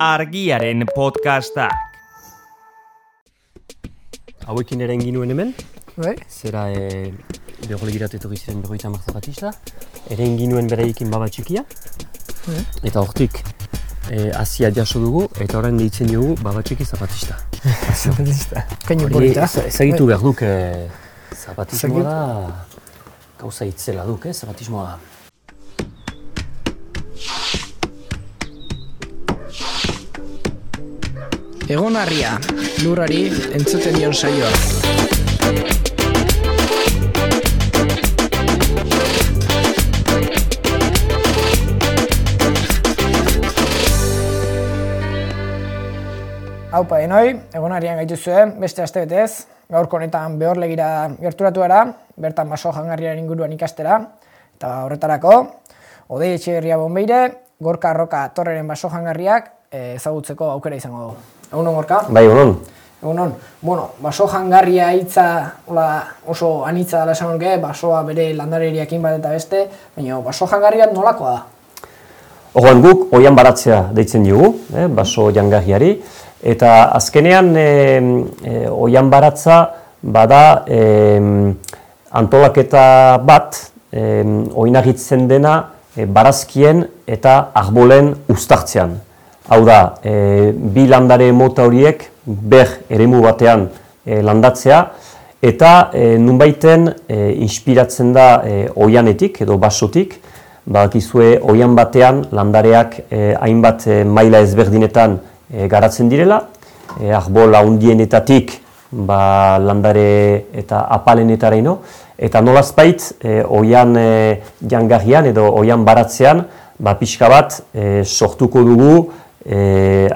Argiaren podcastak. Hauekin ere egin nuen hemen, Bai. zera begolegiratu etorri ziren 50 zapatista, ere egin nuen bereikin baba txikia, eta hortik hasia jaso dugu, eta orain deitzen dugu baba txiki zapatista. Zapatista. Kaino polita. Ezagitu behar duk, zapatismoa da, gauza itzela duk, zapatismoa da. Egon harria, lurrari entzuten dion saioa. Haupa denoi, egon harrian gaituzue, beste aste betez, gaurko honetan Behorlegira gerturatu gara, bertan baso jangarriaren inguruan ikastera, eta horretarako, Odei Etxeberria Bonbeire, Gorka Arroka Torreren baso jangarriak ezagutzeko aukera izango dugu. Egunon, Gorka? Bai, egunon. Egunon. Bueno, baso jangarria hitza oso anitza dela esan nuke, basoa bere landareriakin bat eta beste, baina baso jangarria nolakoa da? Orduan guk oihan baratzea deitzen diogu, baso jangarriari, eta azkenean oihan baratza bada antolaketa bat oinagitzen dena barazkien eta arbolen uztartzean. Hau da, bi landare mota horiek ber eremu batean landatzea, eta nunbaiten inspiratzen da oihanetik edo basotik, badakizue oihan batean landareak hainbat maila ezberdinetan garatzen direla, arbol handienetatik landare eta apalenetaraino, eta nolazbait oihan jangarrian edo oihan baratzean pixka bat sortuko dugu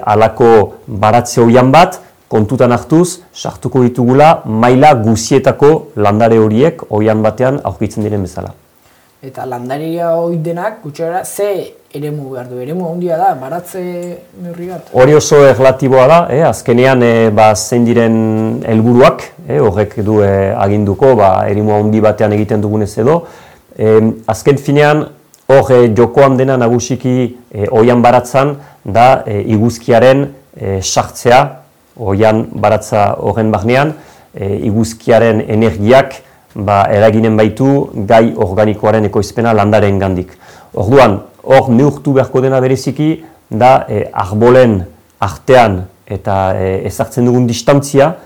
halako baratze oihan bat, kontutan hartuz, sartuko ditugula maila guzietako landare horiek oihan batean aurkitzen diren bezala. Eta landaria hori denak, gutxera, ze eremu behar du? Eremu handia da, baratze neurri bat? Hori oso erlatiboa da, azkenean zein diren helburuak, horrek du aginduko, eremu handi batean egiten dugunez edo. Azken finean, hor jokoan dena nagusiki oihan baratzan da iguzkiaren sartzea, oihan baratza horren barnean, iguzkiaren energiak eraginen baitu gai organikoaren ekoizpena landaren gandik. Orduan, hor neurtu beharko dena bereziki da arbolen artean eta ezartzen dugun distantzia,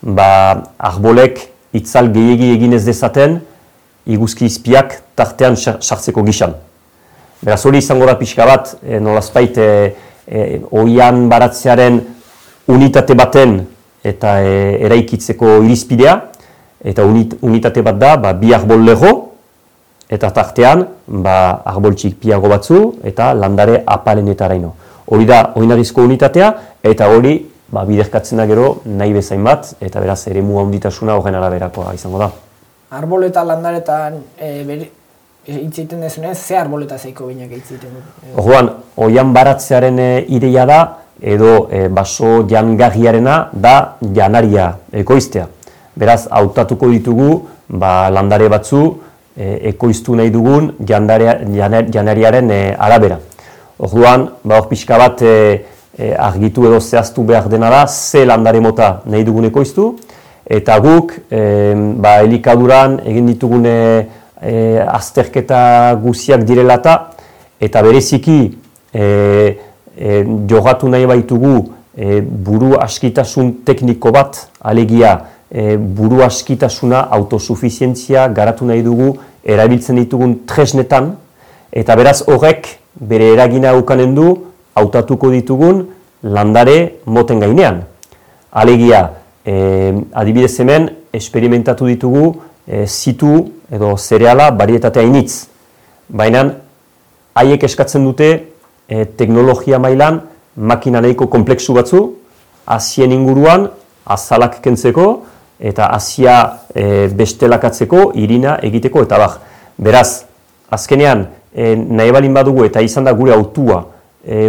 arbolek itzal gehiegi egin ez dezaten iguzki izpiak tartean sartzeko gizan. Beraz hori izango da pixka bat, nolazbait oihan baratzearen unitate baten eta eraikitzeko irizpidea, eta unitate bat da bi arbol lego, eta tartean arbol txikiago batzu eta landare apalenetaraino. Hori da oinarizko unitatea, eta hori biderkatzen da gero nahi bezain bat, eta beraz eremu handitasuna horren araberakoa izango da. Arbol eta landaretan hitz egiten dezunez, ze arbol eta zeiko binak hitz egiten du? Orduan, oihan baratzearen ideia da, edo baso jangarriarena da janaria ekoiztea. Beraz, hautatuko ditugu landare batzu ekoiztu nahi dugun janariaren arabera. Orduan, hor pixka bat argitu edo zehaztu behar dena da, ze landare mota nahi dugun ekoiztu, eta guk elikaduran egin ditugun azterketa guziak direlata, eta bereziki jogatu nahi baitugu buru askitasun tekniko bat, alegia buru askitasuna, autosufizientzia garatu nahi dugu erabiltzen ditugun tresnetan, eta beraz horrek bere eragina ukanen du hautatuko ditugun landare moten gainean. Alegia, adibidez hemen, esperimentatu ditugu zitu edo zereala barietatea initz. Baina haiek eskatzen dute teknologia mailan makina nahiko kompleksu batzu, hazien inguruan azalak kentzeko, eta hazia bestelakatzeko, irina egiteko, eta Beraz, azkenean, nahi balin badugu eta izan da gure autua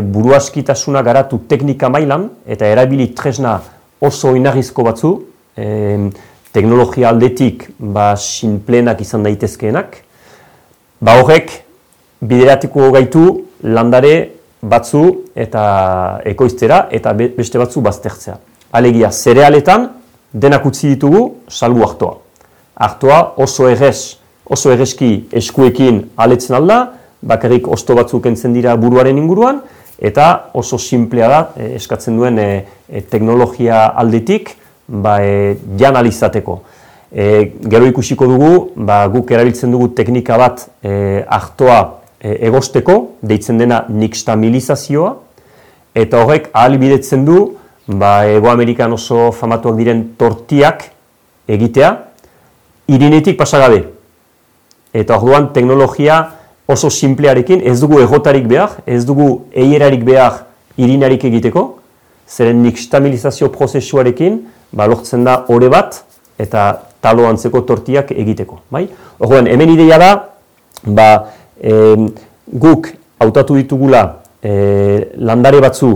buruaskitasuna garatu teknika mailan, eta erabili tresna oso oinarrizko batzu, teknologia aldetik sinplenak izan daitezkeenak, horrek bideratuko gaitu landare batzu eta ekoiztera eta beste batzu baztertzea. Alegia, zerealetan denak utzi ditugu salbu artoa. Artoa oso erreski eskuekin aletzen alda, bakarrik osto batzuk kentzen dira buruaren inguruan, eta oso simplea da, eskatzen duen teknologia aldetik, jan alizateko. Gero ikusiko dugu, guk erabiltzen dugu teknika bat artoa egosteko, deitzen dena nixtamilizazioa, eta horrek ahalbidetzen du, Hego Amerikan oso famatuak diren tortiak egitea, irinetik pasagabe. Eta orduan teknologia oso simplearekin, ez dugu egotarik behar, ez dugu eierarik behar irinarik egiteko, zeren nixtamilizazio prozesuarekin lortzen da ore bat eta talo antzeko tortiak egiteko. Orduan, hemen ideia da, guk hautatu ditugula landare batzu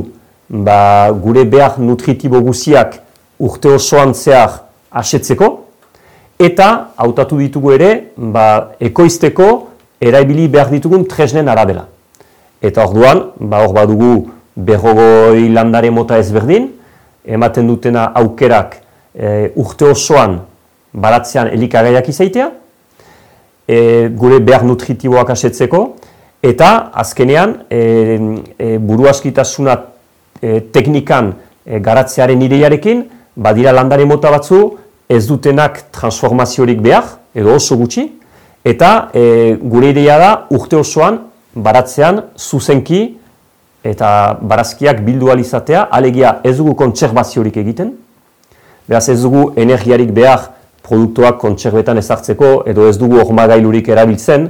gure behar nutritibo guziak urte osoan zehar asetzeko, eta hautatu ditugu ere ekoizteko eraibili behar ditugun tresnen arabera. Eta orduan, hor badugu 40 landare mota ezberdin, ematen dutena aukerak urte osoan baratzean elikagaiak izaitea, gure behar nutritiboak asetzeko, eta azkenean buruaskitasuna teknikan garatzearen ideiarekin, badira landare mota batzu ez dutenak transformaziorik behar, edo oso gutxi, eta gure ideia da urte osoan baratzean zuzenki eta barazkiak bildu alizatea, alegia ez dugu kontserbaziorik egiten, beraz ez dugu energiarik behar produktuak kontserbetan ezartzeko, edo ez dugu hormagailurik erabiltzen,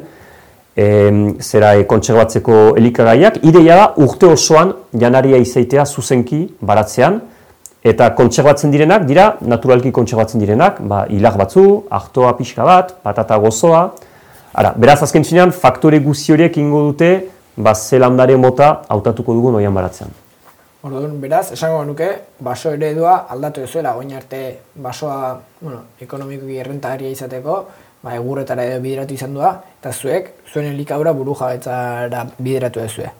kontserbatzeko elikagaiak, ideia da urte osoan janaria izaitea zuzenki baratzean, eta kontserbatzen direnak, dira naturalki kontserbatzen direnak, hilar batzu, artoa pixka bat, patata gozoa. Beraz azken finean, faktore guzi horiek ingo dute, ze landare mota hautatuko dugun oian baratzean. Orduan, beraz, esango nuke, baso eredua aldatu duzuela, oin arte basoa ekonomikoki errentagarria izateko, egurretara edo bideratu izan da, eta zuek, zuen elikadura burujabetzara bideratu duzue.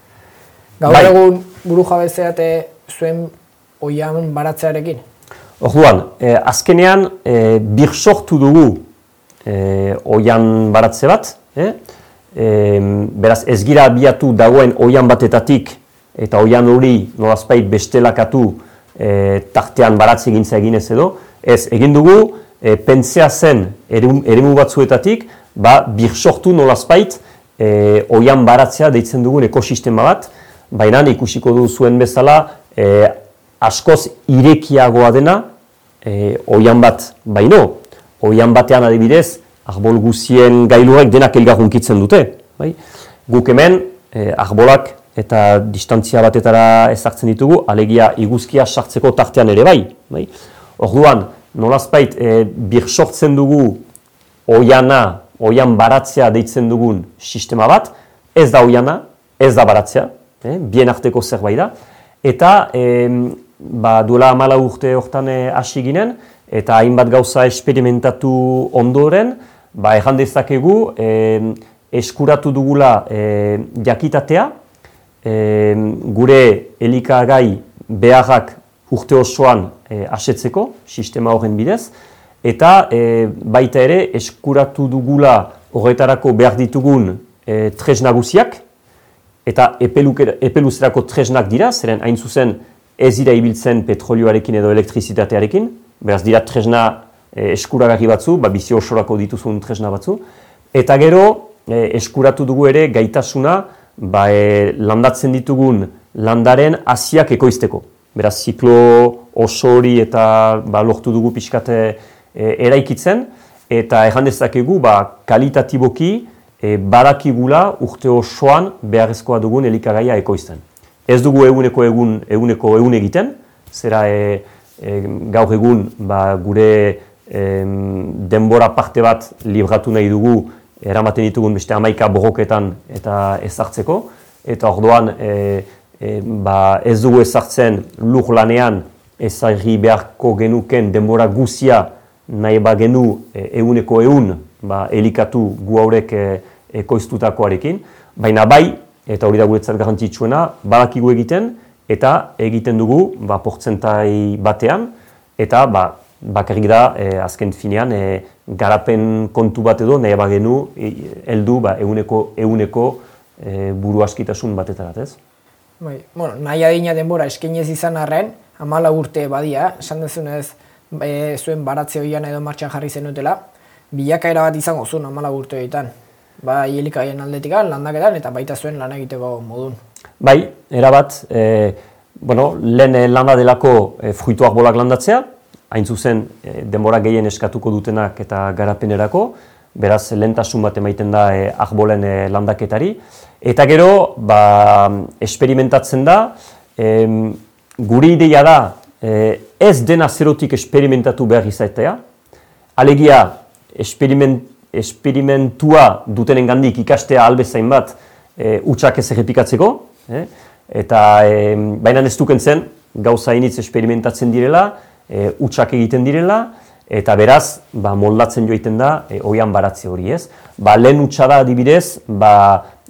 Gaur egun burujabetzeate zuen oian baratzearekin? Orduan, azkenean birsortu dugu oian baratze bat, beraz ez gira abiatu dagoen oian batetatik eta oian hori nolazpait bestelakatu tartean baratze egintza eginez edo, ez egin dugu pentsea zen eremu batzuetatik, birsortu nolazpait oian baratzea deitzen dugun ekosistema bat, baina ikusiko du zuen bezala askoz irekiagoa dena oian bat baino. Oian batean adibidez, arbol guzien gailurrek denak elgarrunkitzen dute. Guk hemen arbolak eta distantzia batetara ezartzen ditugu, alegia iguzkia sartzeko tartean ere bai. Orduan, nolazpait birsortzen dugu oian baratzea deitzen dugun sistema bat, ez da oiana, ez da baratzea, bien arteko zerbait da, eta duela 14 urte hortan hasi ginen, eta hainbat gauza esperimentatu ondoren, erran dezakegu eskuratu dugula jakitatea, gure elikagai beharrak urte osoan asetzeko, sistema horren bidez, eta baita ere eskuratu dugula horretarako behar ditugun tresna guziak, eta epeluzerako tresnak dira, zeren hain zuzen ez dira ibiltzen petrolioarekin edo elektrizitatearekin, beraz dira tresna eskuragarri batzu, bizi osorako dituzun tresna batzu, eta gero eskuratu dugu ere gaitasuna landatzen ditugun landaren hasiak ekoizteko. Beraz, ziklo oso hori eta lortu dugu pixkate eraikitzen, eta erran dezakegu kalitatiboki badakigula urte osoan beharrezkoa dugun elikagaia ekoizten. Ez dugu eguneko egiten, zera gaur egun gure denbora parte bat libratu nahi dugu eramaten ditugun beste 11 borroketan eta ezartzeko, eta orduan ez dugu ezartzen lur lanean ezagri beharko genuken denbora guzia nahi bagenu eguneko egun elikatu gu haurek ekoiztutakoarekin, baina bai eta hori da guretzat garrantzitsuena, badakigu egiten, eta egiten dugu portzentai batean, eta bakarrik da azken finean garapen kontu bat edo nahi bagenu heldu eguneko buru askitasun batetarat, ez? Nahi adina denbora eskainez izan arren, 14 urte badia, esan dezunez zuen baratze hoian edo martxan jarri zenutela, bilakaera bat izango zuen 14 urte horietan. Bai elikagaien aldetikan, landaketan eta baita zuen lan egiteko modun. Bai, erabat, lehen landa delako fruituak bolak landatzea, hain zuzen denbora gehien eskatuko dutenak eta garapenerako, beraz lehentasun bat emaiten da arbolen landaketari. Eta gero, esperimentatzen da, gure ideia da ez dena zerotik esperimentatu behar izatea, alegia esperimentua dutenen gandik ikastea albezain bat hutsak ez errepikatzeko, eta baina ez dukentzen gauza initz esperimentatzen direla, hutsak egiten direla, eta beraz moldatzen joiten da oian baratze hori, ez? Lehen hutsa da adibidez,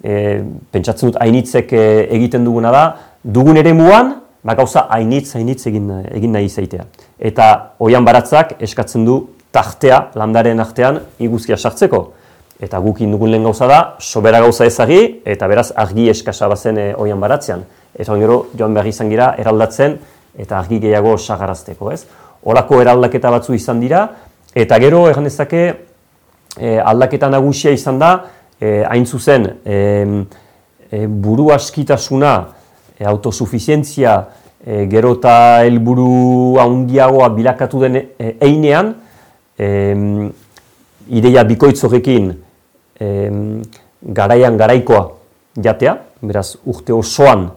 pentsatzen dut hainitzek egiten duguna da, dugun eremuan gauza hainitz egin nahi izaitea. Eta oian baratzak eskatzen du tartea, landaren artean, iguzkia sartzeko. Eta gukin dugun lehen gauza da, sobera gauza ezagi, eta beraz argi eskasa bazen oian baratzean. Eta gero joan behar izan gira eraldatzen, eta argi gehiago sagarazteko, ez? Horako eraldaketa batzu izan dira, eta gero egan dezake aldaketa nagusia izan da, hain zuzen buru askitasuna, autosufizientzia, gero eta helburu handiagoa bilakatu den einean, ideia bikoitz horrekin garaikoa jatea, beraz urte osoan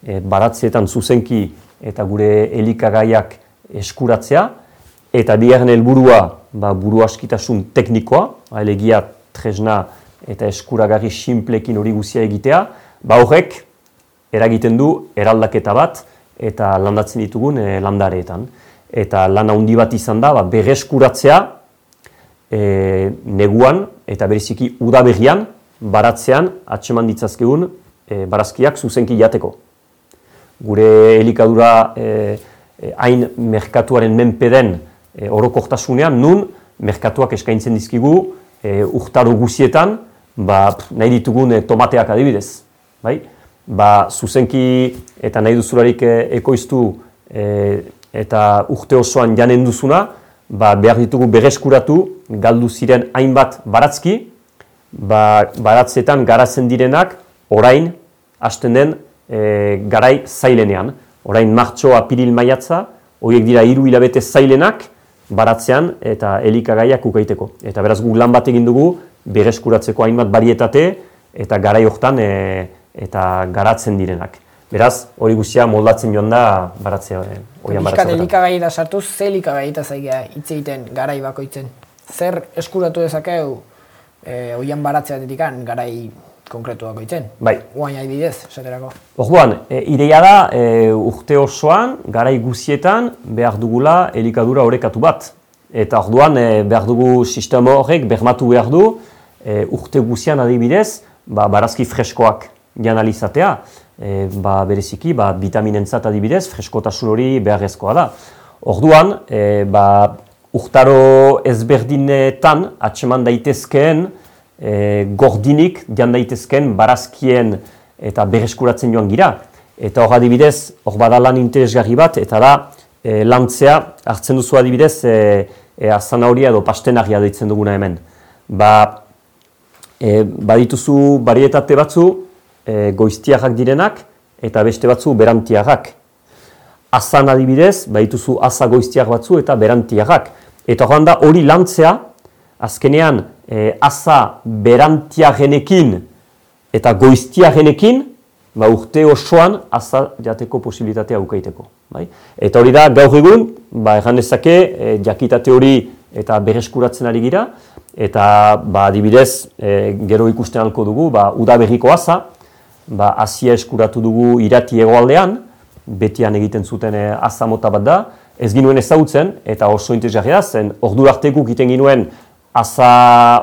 baratzeetan zuzenki eta gure elikagaiak eskuratzea, eta bigarren helburua buru askitasun teknikoa, alegia tresna eta eskuragarri sinplekin hori guzia egitea, horrek eragiten du eraldaketa bat eta landatzen ditugun landareetan. Eta lan handi bat izan da, berreskuratzea neguan eta bereziki udaberrian baratzean atseman ditzazkegun barazkiak zuzenki jateko. Gure elikadura hain merkatuaren menpeden orokortasunean, nun merkatuak eskaintzen dizkigu urtaro guzietan nahi ditugun tomateak adibidez. Zuzenki eta nahi duzularik ekoiztu eta urte osoan janen duzuna, behar ditugu berreskuratu galdu ziren hainbat baratzki, baratzetan garatzen direnak orain hasten den garai zailenean. Orain martxo, apiril, maiatza, horiek dira 3 hilabete zailenak baratzean eta elikagaiak ukaiteko. Eta beraz guk lan bat egin dugu berreskuratzeko hainbat barietate eta garai hortan eta garatzen direnak. Beraz, hori guztia moldatzen joan da baratzea. Bizkat elikagaita sartuz, ze elikagaita zaigea hitz egiten garai bakoitzen? Zer eskuratu dezakeu oian baratzeatetik garai konkretu bakoitzen? Bai. Guain adibidez, esaterako. Orduan, ideia da urte osoan, garai guzietan behar dugula elikadura orekatu bat. Eta orduan behar dugu sistema horrek bermatu behar du urte guzian adibidez barazki freskoak janalizatea. Bereziki, vitaminentzat adibidez, freskotasun hori beharrezkoa da. Orduan, urtaro ezberdinetan atseman daitezkeen gordinik jan daitezkeen barazkien eta berreskuratzen joan gira. Eta hor adibidez, hor bada lan interesgarri bat, eta da lantzea hartzen duzu adibidez azanahoria edo pastenaria deitzen duguna hemen. Badituzu barietate batzu, goiztiarrak direnak eta beste batzu berantiarrak. Azan adibidez, badituzu aza goiztiar batzu eta berantiarrak. Eta horren da hori lantzea, azkenean aza berantiarrenekin eta goiztiarrenekin urte osoan aza jateko posibilitatea ukaiteko. Eta hori da gaur egun, erran dezake jakitate hori eta berreskuratzen ari gira, eta adibidez gero ikusten alko dugu udaberriko aza, azia eskuratu dugu irati hegoaldean, betian egiten zuten aza mota bat da, ez ginuen ezagutzen, eta oso interesgarria da, zen ordu arte guk egiten ginuen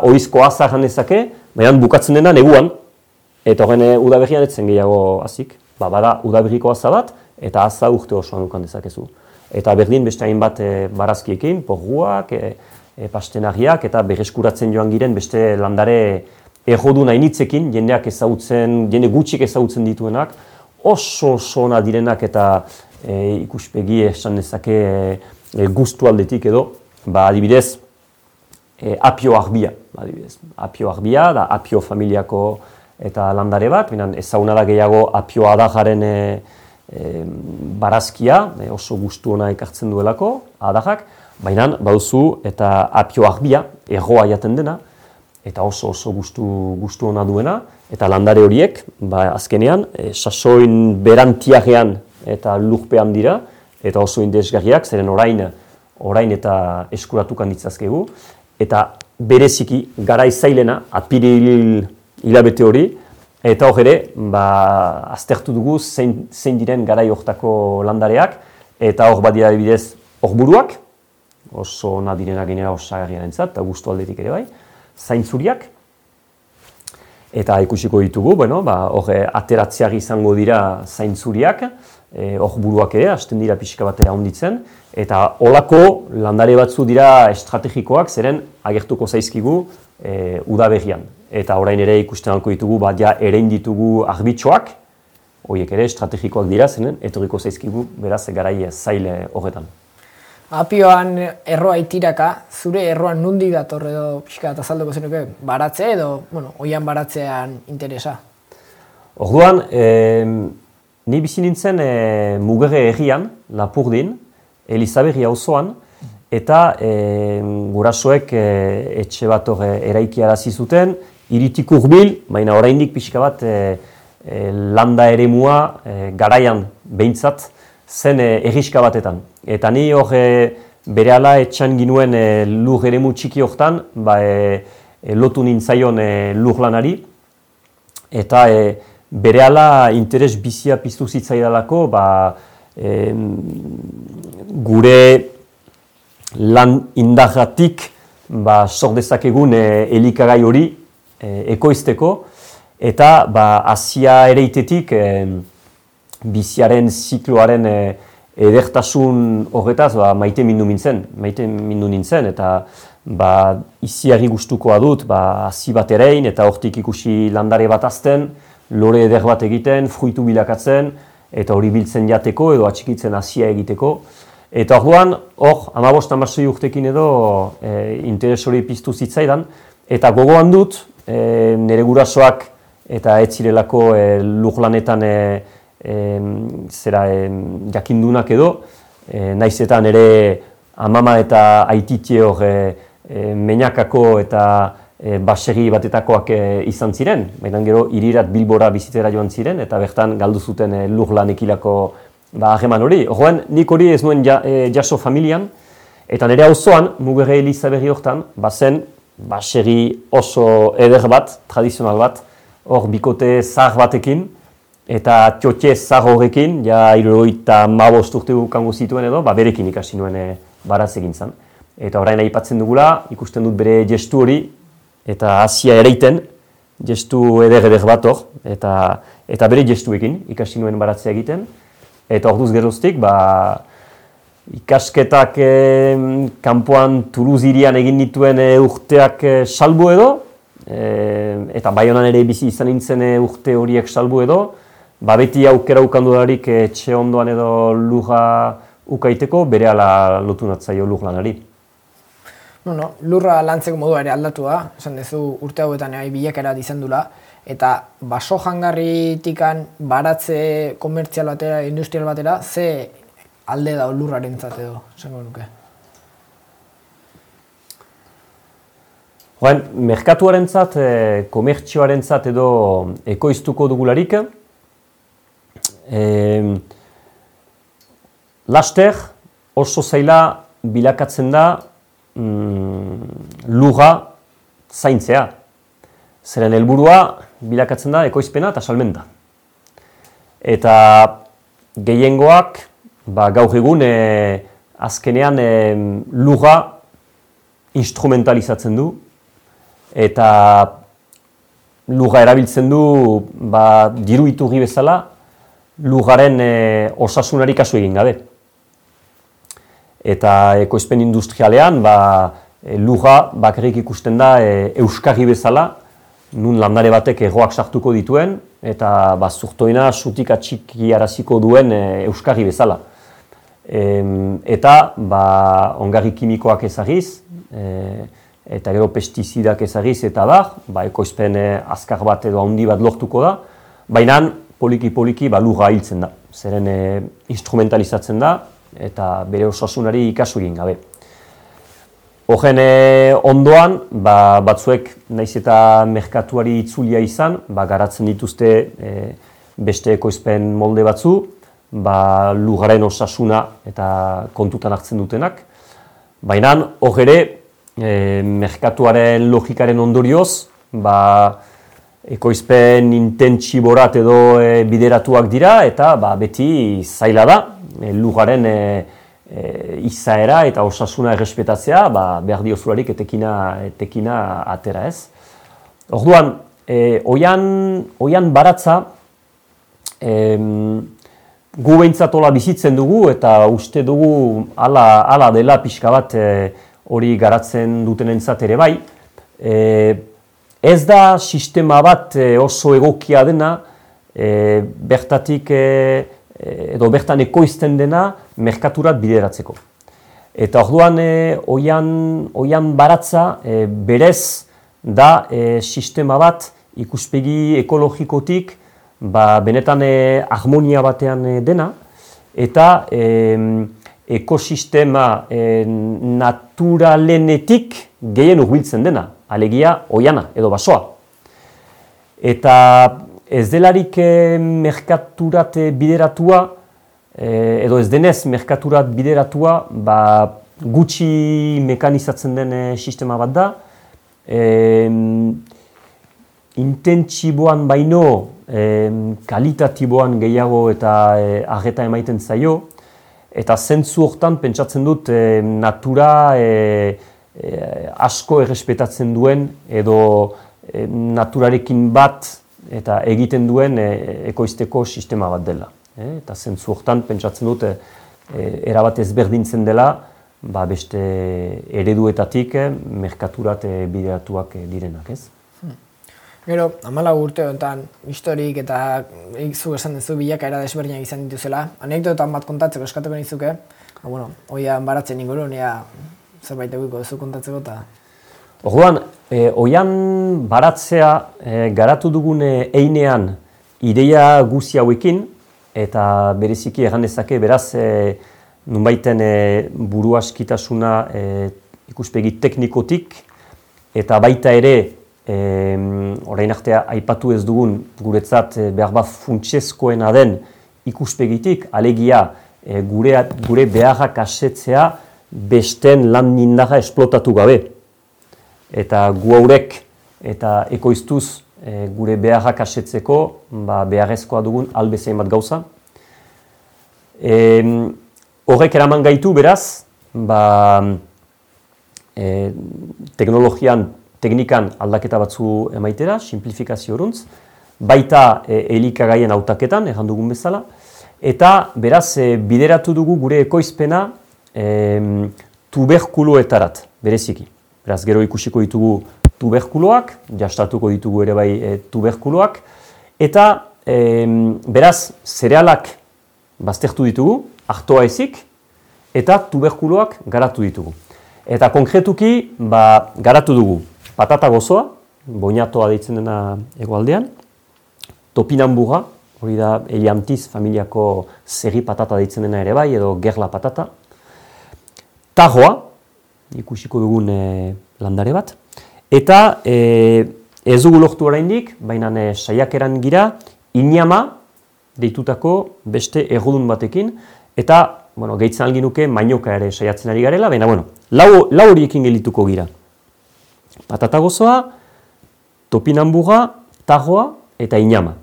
oizko aza erran dezake, baina bukatzen dena neguan, eta horren udaberrian etzen gehiago hazik. Bada udaberriko aza bat, eta aza urte osoan dukan dezakezu. Eta berdin beste hainbat barazkiekin, porruak, pastenariak, eta berreskuratzen joan giren beste landare errodun hainitzekin, jende gutxik ezagutzen dituenak, oso ona direnak eta ikuspegi esan dezake gustu aldetik edo, adibidez, apio arbia. Apio arbia da apio familiako eta landare bat, ezaguna da gehiago apio adajaren barazkia, oso gustu ona ekartzen duelako, adajak, baina baduzu eta apio arbia, erroa jaten dena, eta oso gustu ona duena, eta landare horiek, azkenean, sasoin berantiagean eta lurpean dira, eta oso interesgarriak, zeren orain eta eskuratukan ditzazkegu, eta bereziki garai zailena, apiril hilabete hori, eta hor ere, aztertu dugu zein diren garai hortako landareak, eta hor badira adibidez horburuak, oso ona direnak genera osagarriarentzat, eta gustu aldetik ere bai, zaintzuriak, eta ikusiko ditugu, hor ateratzeak izango dira zaintzuriak, horburuak ere, hasten dira pixka batera honditzen, eta holako landare batzu dira estrategikoak, zeren agertuko zaizkigu udaberrian. Eta orain ere ikusten alko ditugu, erein ditugu arbitxoak, horiek ere estrategikoak dira, zenen etorriko zaizkigu beraz garai zaile horretan. Apioan erroa itiraka, zure erroan nundi dator edo pixka eta azalduko zenuke baratze edo, oian baratzean interesa? Orduan, ni bizi nintzen Mugerre herrian, Lapurdin, Elizaberri auzoan, eta gurasoek etxe bat eraikiarazi zuten, hiritik hurbil, baina oraindik pixka bat landa eremua garaian behintzat zen erriska batetan. Eta ni hor berehala etxan ginuen lur eremu txiki hortan, lotu nintzaion lur lanari, eta berehala interes bizia piztu zitzaidalako, gure lan indarratik sor dezakegun elikagai hori ekoizteko, eta hasia ereitetik biziaren zikloaren edertasun horretaz maite mindu nintzen, eta iziari gustukoa dut hasi bat erein, eta hortik ikusi landare bat azten, lore eder bat egiten, fruitu bilakatzen, eta hori biltzen jateko edo atxikitzen hasia egiteko. Eta orduan, hor, 15-16 urtekin edo interes hori piztu zitzaidan, eta gogoan dut, nire gurasoak eta ez zirelako lurlanetan jakindunak edo, naizetan ere amama eta aititie hor Meñakako eta basegi batetakoak izan ziren, baina gero hirirat Bilbora bizitera joan ziren, eta bertan galdu zuten lurlanekilako hageman hori. Horren, nik hori ez nuen jaso familian, eta nire auzoan, Mugerre Elizaberri hortan, bazen basegi oso eder bat, tradizional bat, hor bikote zahar batekin, eta txotxe zahar horrekin, 75 urte kango zituen edo, berekin ikasi nuen baraz egin zen. Eta orain aipatzen dugula, ikusten dut bere gestu hori, eta hasia ereiten, gestu eder bat hor, eta bere gestuekin ikasi nuen baratzea egiten. Eta orduz geroztik, ikasketak kanpoan Toulouse hirian egin dituen urteak salbu edo, eta Baionan ere bizi izan nintzen urte horiek salbu edo, beti aukera ukandularik etxe ondoan edo lurra ukaiteko, berehala lotu natzaio lur lanari. Lurra lantzeko modua ere aldatu da, esan dezu urte hauetan bilakera dizendula, eta baso jangarritikan baratze komertzial batera, industrial batera, ze alde da lurrarentzat edo, esango nuke? Merkatuarentzat, komertzioarentzat edo ekoiztuko dugularik, laster oso zaila bilakatzen da lurra zaintzea. Zeren helburua bilakatzen da ekoizpena eta salmenta. Eta gehiengoak gaur egun azkenean lurra instrumentalizatzen du, eta lurra erabiltzen du diru iturri bezala lurraren osasunari kasu egin gabe. Eta ekoizpen industrialean lurra bakarrik ikusten da euskarri bezala, nun landare batek erroak sartuko dituen, eta zurtoina sutik atxiki araziko duen euskarri bezala. Eta ongarri kimikoak ezagiz, eta gero pestizidak ezagiz eta ekoizpen azkar bat edo handi bat lortuko da, baina poliki-poliki lurra hiltzen da. Zeren instrumentalizatzen da eta bere osasunari ikasu egin gabe. Horren ondoan, batzuek naiz eta merkatuari itzulia izan, garatzen dituzte beste ekoizpen molde batzu, lurraren osasuna eta kontutan hartzen dutenak. Baina hor ere, merkatuaren logikaren ondorioz, ekoizpen intentsiborat edo bideratuak dira eta beti zaila da lurraren izaera eta osasuna errespetatzea behar diozularik etekina atera ez. Orduan, oian baratza gu behintzat hola bizitzen dugu eta uste dugu ala dela pixka bat hori garatzen dutenentzat ere bai. Ez da sistema bat oso egokia dena, bertatik edo bertan ekoizten dena merkaturat bideratzeko. Eta orduan oian baratza berez da sistema bat ikuspegi ekologikotik benetan harmonia batean dena eta ekosistema naturalenetik gehien hurbiltzen dena, alegia oiana edo basoa. Eta ez delarik merkaturat bideratua, edo ez denez merkaturat bideratua, gutxi mekanizatzen den sistema bat da. Intentsiboan baino, kalitatiboan gehiago eta arreta emaiten zaio, eta zentzu hortan pentsatzen dut natura asko errespetatzen duen edo naturarekin bat eta egiten duen ekoizteko sistema bat dela. Eta zentzu hortan pentsatzen dut erabat ezberdintzen dela beste ereduetatik merkaturat bideratuak direnak, ez? Gero, 14 urte honetan historik eta zu esan duzu bilakaera desberdinak izan dituzela. Anekdotan bat kontatzeko eskatuko nizuke. Oian baratzen ingurun, zerbait egiko duzu kontatzeko eta... Orduan, oian baratzea garatu dugun einean ideia guzi hauekin, eta bereziki erran dezake beraz nunbaiten buru askitasuna ikuspegi teknikotik, eta baita ere orain artea aipatu ez dugun guretzat behar bat funtsezkoena den ikuspegitik, alegia gure beharrak asetzea besten lan indarra esplotatu gabe. Eta gu haurek eta ekoiztuz gure beharrak asetzeko beharrezkoa dugun albezein bat gauza. Horrek eraman gaitu beraz, teknikan aldaketa batzu emaitera, simplifikazio horuntz, baita elikagaien hautaketan, erran dugun bezala, eta beraz bideratu dugu gure ekoizpena tuberkuloetarat, bereziki. Beraz, gero ikusiko ditugu tuberkuloak, jastatuko ditugu ere bai tuberkuloak, eta beraz, zerealak baztertu ditugu, artoa ezik, eta tuberkuloak garatu ditugu. Eta konkretuki, garatu dugu patata gozoa, boinatoa deitzen dena hegoaldean, topinamburra, hori da Eliantiz familiako zerri patata deitzen dena ere bai, edo gerla patata, tajoa, ikusiko dugun landare bat, eta ez dugu lortu oraindik, baina saiakeran gira, inama deitutako beste errudun batekin, eta gehitzen algin nuke mainoka ere saiatzen ari garela, baina lau horiekin gelituko gira. Patata gozoa, topinamburra, tajoa eta inama.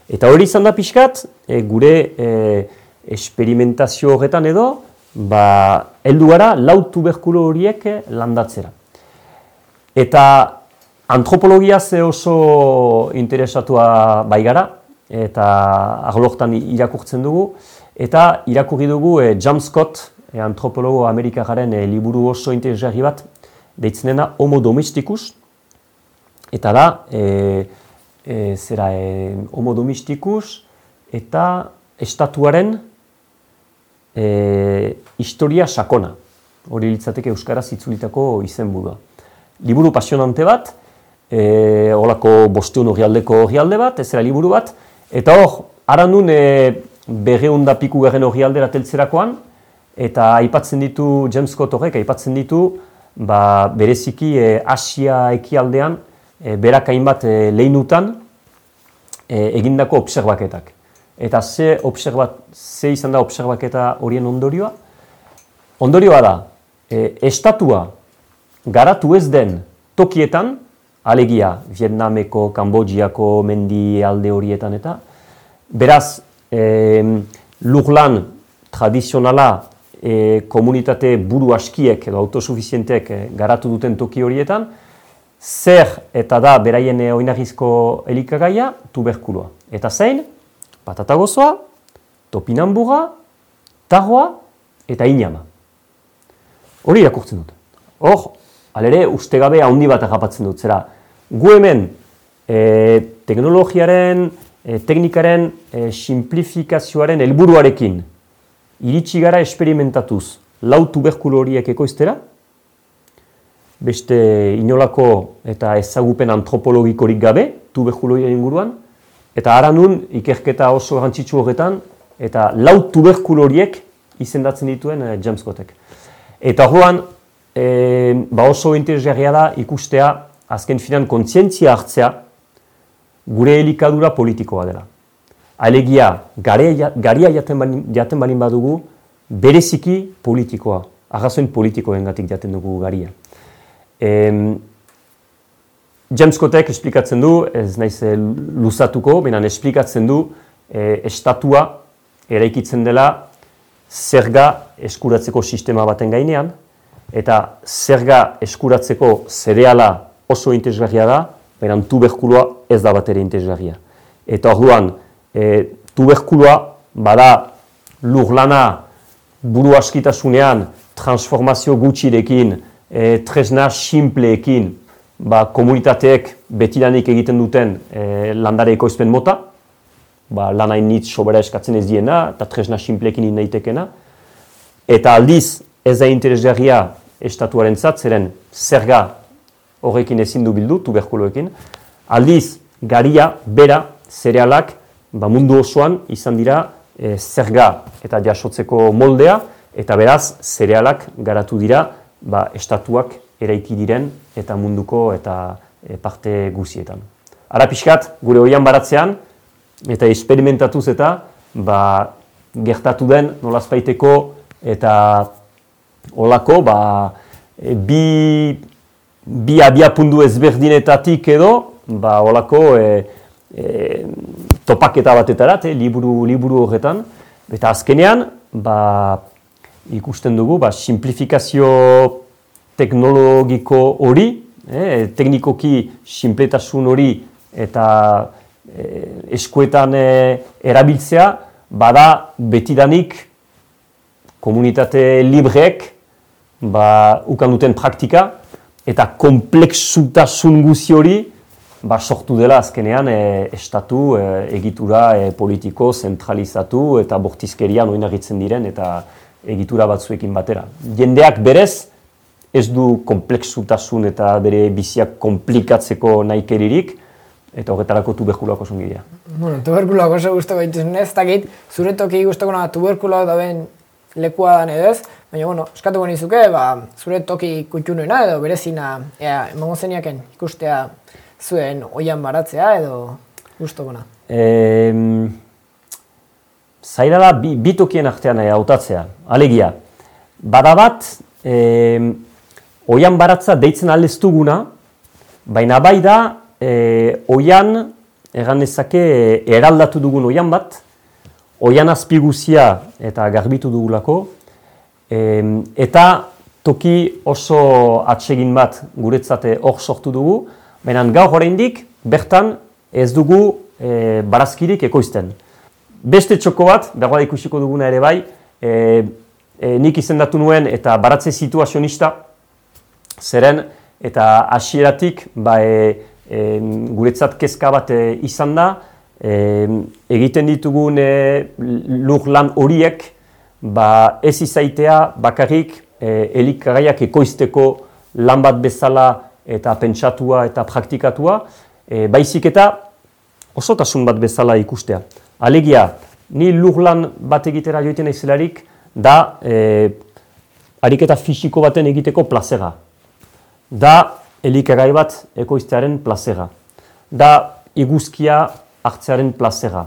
Eta hori izan da pixkat, gure esperimentazio horretan edo, heldu gara lau tuberkulo horiek landatzera. Eta Antropologia ze oso interesatua bai gara, eta arlortan irakurtzen dugu, eta irakurri dugu John Scott, antropologo amerikaren liburu oso interesgarri bat, deitzen dena Homo domesticus, eta da, Homo domesticus, eta estatuaren historia sakona. Hori litzateke euskaraz itzulitako izenburua. Liburu pasionante bat, holako 500 orrialde bat, ezera liburu bat, eta hor, aranun 200 piku garen orrialdera teltzerakoan, eta aipatzen ditu, James Scott horrek aipatzen ditu, bereziki Asia ekialdean, berak hainbat lehinutan egindako obserbaketak. Eta ze izan da obserbaketa horien ondorioa? Ondorioa da, estatua garatu ez den tokietan, alegia Vietnameko, Kambodžiako mendi alde horietan eta, beraz, lurlan tradizionala komunitate buru askiek edo autosufizientek garatu duten toki horietan, zer eta da beraien oinarrizko elikagaia tuberkuloa. Eta zein? Patata gozoa, topinambura, tarroa eta inama. Hori irakurtzen dut. Hor, alere, ustegabe handi bat agapatzen dut. Zera, gu hemen teknologiaren, teknikaren simplifikazioaren helburuarekin iritsi gara esperimentatuz lau tuberkulo horiek ekoiztera, beste inolako eta ezagupen antropologikorik gabe tuberkulo horien inguruan, eta aranun ikerketa oso garrantzitsu horretan, eta lau tuberkulo horiek izendatzen dituen James Scottek. Eta horrean, oso interesgarria da ikustea, azken finan kontzientzia hartzea, gure elikadura politikoa dela. Alegia, garia jaten balin badugu, bereziki politikoa, arrazoin politikoengatik jaten dugu garia. James Scottek esplikatzen du, ez naiz luzatuko, baina esplikatzen du estatua eraikitzen dela zerga eskuratzeko sistema baten gainean, eta zerga eskuratzeko zereala oso interesgarria da, baina tuberkuloa ez da bat ere interesgarria. Eta orduan, tuberkuloa bada lurlana buru askitasunean transformazio gutxirekin, tresna simpleekin, komunitateek betidanik egiten duten landare ekoizpen mota, lan hainitz sobera eskatzen ez diena, eta tresna simpleekin indaitekena. Eta aldiz, ez da interesgarria estatuaren zeren zerga horrekin ezin du bildu, tuberkuloekin. Aldiz, garia, bera, zerealak, mundu osoan izan dira zerga eta jasotzeko moldea, eta beraz, zerealak garatu dira estatuak eraiki diren eta munduko eta parte guzietan. Ara pixkat, gure oian baratzean, eta esperimentatuz eta gertatu den nolazpaiteko eta olako bi abiapundu ezberdinetatik edo olako topaketa batetarat, liburu horretan, eta azkenean ikusten dugu simplifikazio teknologiko hori, teknikoki sinpletasun hori eta eskuetan erabiltzea, bada betidanik komunitate libreek ukan duten praktika eta komplexutasun guzi hori sortu dela azkenean estatu egitura politiko zentralizatu eta bortizkerian oinarritzen diren eta egitura batzuekin batera. Jendeak berez ez du komplexutasun eta bere biziak komplikatzeko nahikeririk, eta horretarako tuberkuloak oso ongi dira. Bueno, tuberkuloak oso guztoko dituzun ez, dakit, zure toki guztoko tuberkuloak dauen lekua dan edo ez, baina, eskatuko nizuke, zure toki kutxunuena edo berezina, emango zeniaken ikustea zuen oian baratzea edo guztokona. Zaila da, bi tokien artean hautatzea, alegia. Bada bat, oian baratza deitzen aldeztuguna, baina bai da, oian, egan ezake, eraldatu dugun oian bat, oian azpiguzia eta garbitu dugulako, eta toki oso atsegin bat guretzate hor sortu dugu, baina gaur oraindik bertan ez dugu barazkirik ekoizten. Beste txoko bat, dagoa ikusiko duguna ere bai, nik izendatu nuen eta baratze situazionista, zeren eta hasieratik guretzat kezka bat izan da, egiten ditugun lur lan horiek ez izaitea bakarrik elikagaiak ekoizteko lan bat bezala eta pentsatua eta praktikatua, baizik eta osotasun bat bezala ikustea. Alegia, ni lur lan bat egitera joiten naizelarik da ariketa fisiko baten egiteko plazera. Da elikagai bat ekoiztearen plazera. Da iguzkia hartzearen plazera.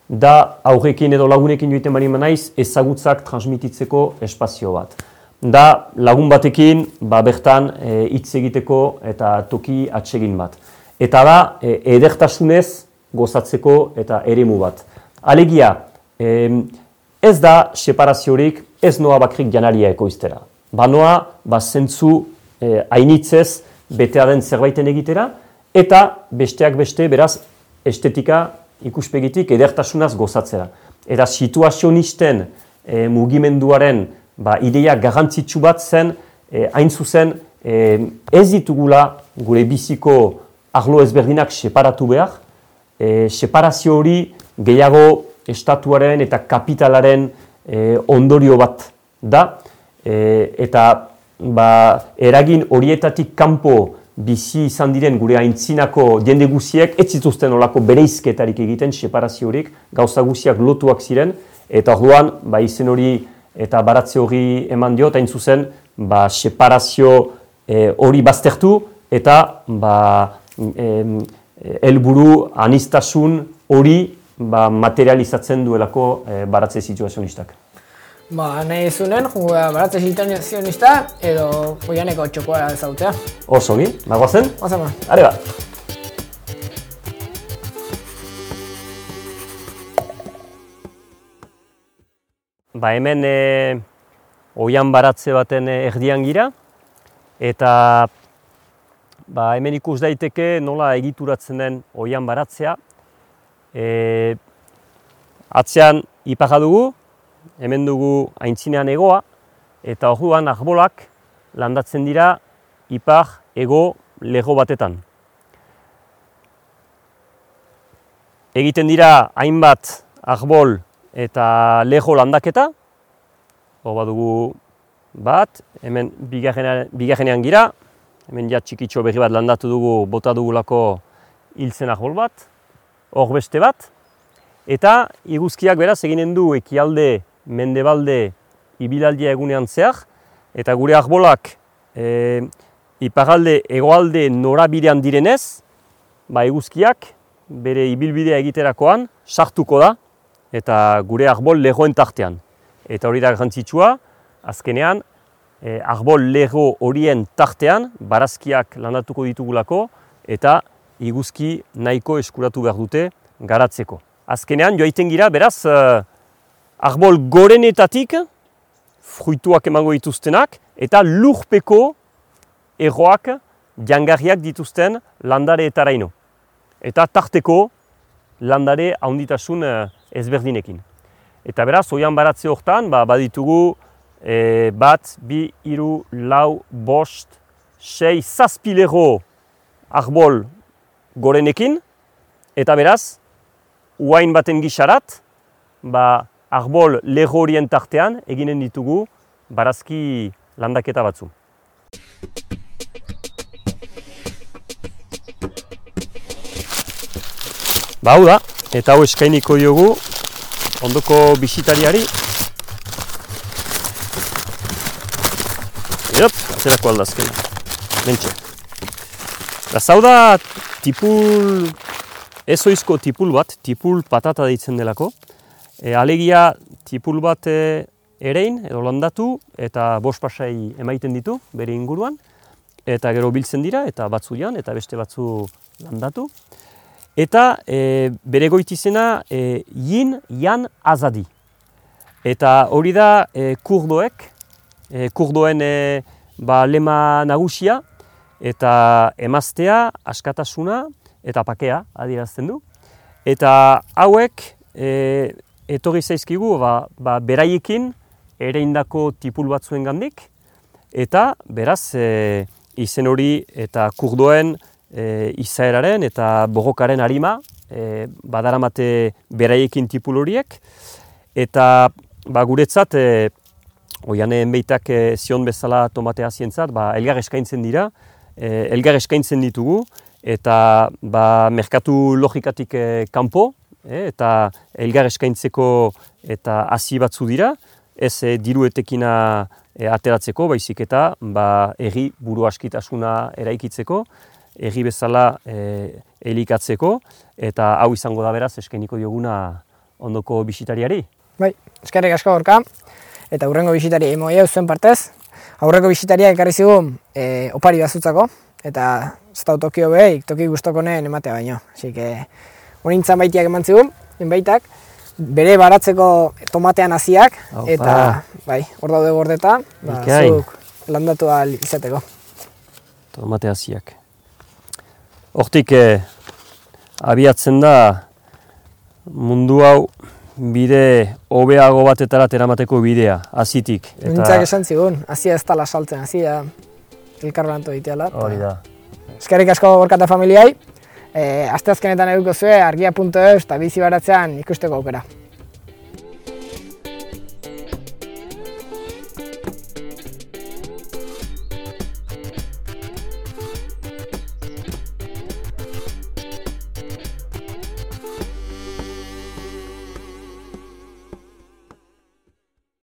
Da aurrekin edo lagunekin joiten bari naiz ezagutzak transmititzeko espazio bat. Da lagun batekin bertan hitz egiteko eta toki atsegin bat. Eta da edertasunez gozatzeko eta eremu bat. Alegia, ez da separaziorik, ez noa bakrik janaria ekoiztera. Banoa zentzu hainitzez betea den zerbaiten egitera, eta besteak beste beraz estetika ikuspegitik edertasunaz gozatzera. Eta situazionisten mugimenduaren ideia garrantzitsu bat zen, hain zuzen ez ditugula gure biziko arlo ezberdinak separatu behar, separazio hori gehiago estatuaren eta kapitalaren ondorio bat da, eta eragin horietatik kanpo bizi izan diren gure aintzinako jende guziek ez zituzten olako bereizketarik egiten separaziorik, gauza guziak lotuak ziren, eta orduan izen hori eta baratze hori eman dio, hain zuzen separazio hori baztertu eta helburu aniztasun hori materializatzen duelako baratze situazionistak. Nahi zunen, baratze situazionista edo Oianeko txokoa ezagutzea. Oso ongi, goazen? Goazen ba. Are ba. Hemen oian baratze baten erdian gira, eta hemen ikus daiteke nola egituratzen den oian baratzea. Atzean iparra dugu, hemen dugu aintzinean hegoa, eta orduan arbolak landatzen dira ipar hego lego batetan. Egiten dira hainbat arbol eta lego landaketa, hor badugu bat, hemen bigarrenean gira, hemen ja txikitxo berri bat landatu dugu, bota dugulako hiltzen arbol bat, hor beste bat, eta iguzkiak beraz eginen du ekialde, mendebalde, ibilaldia egunean zehar, eta gure arbolak iparalde, hegoalde norabidean direnez, eguzkiak bere ibilbidea egiterakoan sartuko da, eta gure arbol legoen tartean. Eta hori da garrantzitsua, azkenean, arbol lego horien tartean, barazkiak landatuko ditugulako, eta iguzki nahiko eskuratu behar dute garatzeko. Azkenean, joaiten gira, beraz, arbol gorenetatik, fruituak emango dituztenak, eta lurpeko erroak jangarriak dituzten landareetaraino. Eta tarteko landare handitasun ezberdinekin. Eta beraz, oian baratze hortan, baditugu bat, bi, hiru, lau, bost, sei, zazpi lego arbol gorenekin, eta beraz, uain baten gisarat, arbol lego horien tartean eginen ditugu barazki landaketa batzu. Hau da, eta hau eskainiko diogu ondoko bisitariari. Atzerako aldazkena, mentxe. Hau da tipul, ezoizko tipul bat, tipul patata deitzen delako. Alegia tipul bat erein edo landatu eta bost pasai emaiten ditu bere inguruan. Eta gero biltzen dira eta batzu jan eta beste batzu landatu. Eta bere goitizena yin, yan, azadi. Eta hori da kurdoek, kurdoen lema nagusia, eta emaztea, askatasuna eta pakea adierazten du. Eta hauek etorri zaizkigu beraiekin ereindako tipul batzuen gandik, eta beraz izen hori eta kurdoen izaeraren eta borrokaren harima badaramate beraiekin tipul horiek, eta guretzat Oianen beitak zion bezala tomatea zientzat, elgar eskaintzen dira, elgar eskaintzen ditugu, eta merkatu logikatik kanpo, eta elgar eskaintzeko eta hasi batzu dira, ez diru etekina ateratzeko, baizik eta herri buru askitasuna eraikitzeko, herri bezala elikatzeko, eta hau izango da beraz eskainiko dioguna ondoko bisitariari. Bai, eskerrik asko Gorka. Eta hurrengo bisitari emoia zuen partez. Aurreko bisitaria ekarri zigun opari bazutzako, eta ez da tokio behik, toki guztokonen ematea baino. Así que honintzan baitiak eman zigun, inbaitak, bere baratzeko tomatean hasiak, eta bai, hor daude gordeta, zuk landatu ahal izateko. Tomate hasiak. Hortik abiatzen da mundu hau bide hobeago batetara eramateko bidea, hazitik. Nintzak esan zigun, hazia ez tala saltzen, hazia elkarlanto diteala. Hori da. Eskerrik asko Gorka eta familiai, asteazkenetan eduko zue argia.eus eta bizi baratzean ikusteko aukera.